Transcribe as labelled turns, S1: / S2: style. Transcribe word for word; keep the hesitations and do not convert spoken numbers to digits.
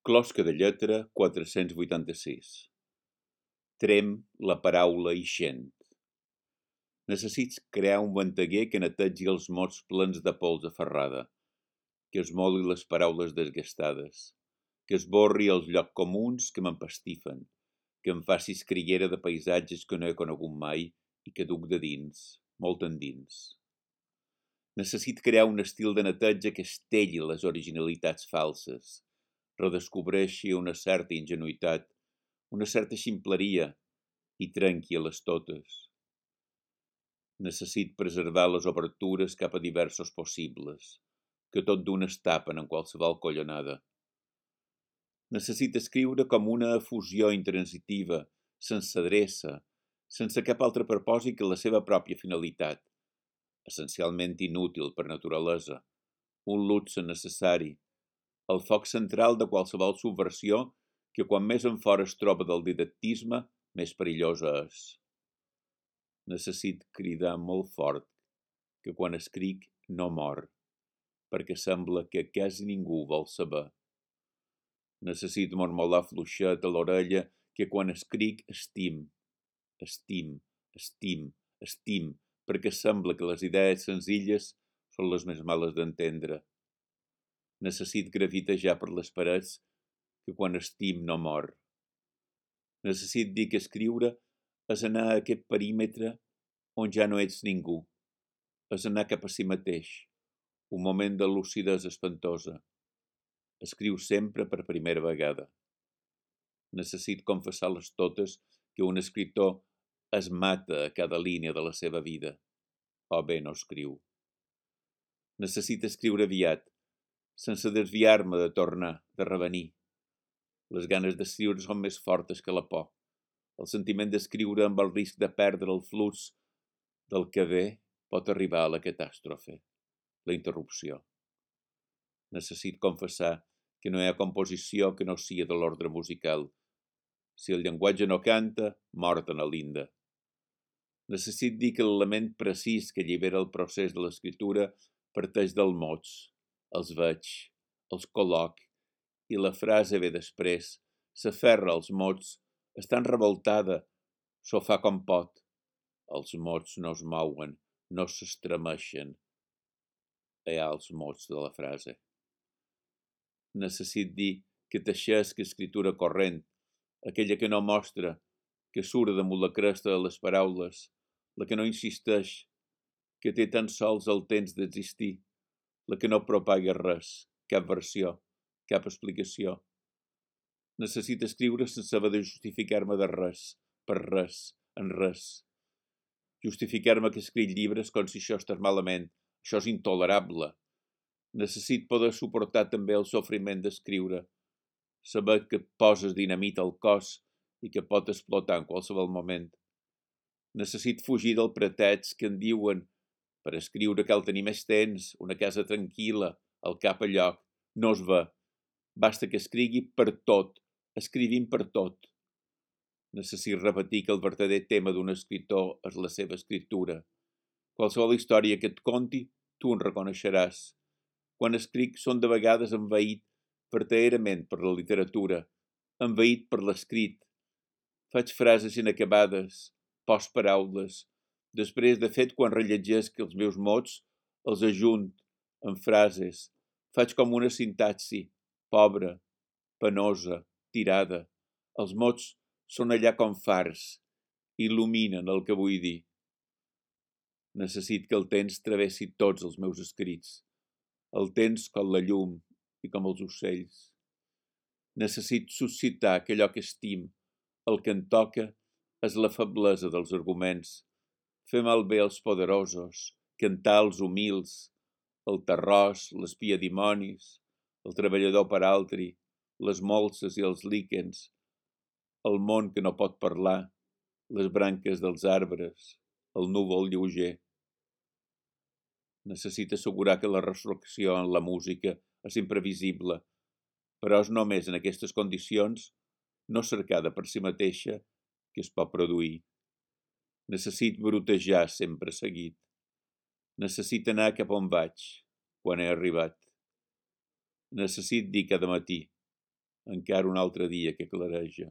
S1: Closca de lletra quatre-cents vuitanta-sis. Trem la paraula ixent. Necessits crear un venteguer que netegi els mots plens de pols aferrada, que esmoli les paraules desgastades, que esborri els llocs comuns que m'empastifen, que em faci escriguera de paisatges que no he conegut mai i que duc de dins, molt endins. Necessit crear un estil de neteja que estelli les originalitats falses, redescobreixi una certa ingenuïtat, una certa ximpleria i trenqui a les totes. Necessit preservar les obertures cap a diversos possibles, que tot d'un es tapen en qualsevol collonada. Necessit escriure com una efusió intransitiva, sense adreça, sense cap altre propòsit que la seva pròpia finalitat, essencialment inútil per naturalesa, un luxe necessari, el foc central de qualsevol subversió que quan més enfora es troba del didactisme, més perillosa és. Necessit cridar molt fort que quan escric no mor, perquè sembla que quasi ningú vol saber. Necessit mormolar fluixet a l'orella que quan escric estim, estim, estim, estim, perquè sembla que les idees senzilles són les més males d'entendre. Necessit gravitejar per les parets que quan estim no mor. Necessit dir que escriure és anar a aquest perímetre on ja no ets ningú, és anar cap a si mateix, un moment de lucidesa espantosa. Escriu sempre per primera vegada. Necessit confessar-les totes que un escriptor es mata a cada línia de la seva vida, o bé no escriu. Necessit escriure aviat, sense desviar-me de tornar, de revenir. Les ganes d'escriure són més fortes que la por. El sentiment d'escriure amb el risc de perdre el flux del que ve pot arribar a la catàstrofe, la interrupció. Necessit confessar que no hi ha composició que no sigui de l'ordre musical. Si el llenguatge no canta, mort en l'Índia. Necessit dir que l'element precís que allibera el procés de l'escriptura parteix dels mots, els veig, els col·loc, i la frase ve després, s'aferra als mots, estan revoltada, s'ho fa com pot. Els mots no es mouen, no s'estremeixen. Hi ha els mots de la frase. Necessit dir que teixesc escritura corrent, aquella que no mostra, que surt damunt la cresta de les paraules, la que no insisteix, que té tan sols el temps d'existir, la que no propaga res, cap versió, cap explicació. Necessito escriure sense haver de justificar-me de res, per res, en res. Justificar-me que escric llibres com si això estàs malament, això és intolerable. Necessito poder suportar també el sofriment d'escriure, saber que poses dinamita al cos i que pot explotar en qualsevol moment. Necessito fugir del pretext que em diuen per escriure cal tenir més temps, una casa tranquil·la, el cap a lloc, no es ve. Basta que escrigui per tot, escrivim per tot. Necessito repetir que el verdader tema d'un escriptor és la seva escriptura. Qualsevol història que et conti, tu en reconeixeràs. Quan escric són de vegades envaït verdaderament per la literatura, envaït per l'escrit. Faig frases inacabades, postparaules. Després, de fet, quan rellegesc els meus mots, els ajunt en frases. Faig com una sintaxi, pobra, penosa, tirada. Els mots són allà com fars, il·luminen el que vull dir. Necessito que el temps travessi tots els meus escrits. El temps com la llum i com els ocells. Necessito suscitar que allò que estim, el que em toca, és la feblesa dels arguments. Fer malbé els poderosos, cantar els humils, el terròs, les piedimonis, el treballador per altri, les molses i els líquens, el món que no pot parlar, les branques dels arbres, el núvol lleuger. Necessita assegurar que la resurrecció en la música és imprevisible, però és només en aquestes condicions, no cercada per si mateixa, que es pot produir. Necessito brotejar sempre seguit. Necessito anar cap on vaig, quan he arribat. Necessito dir cada matí, encara un altre dia que clareja.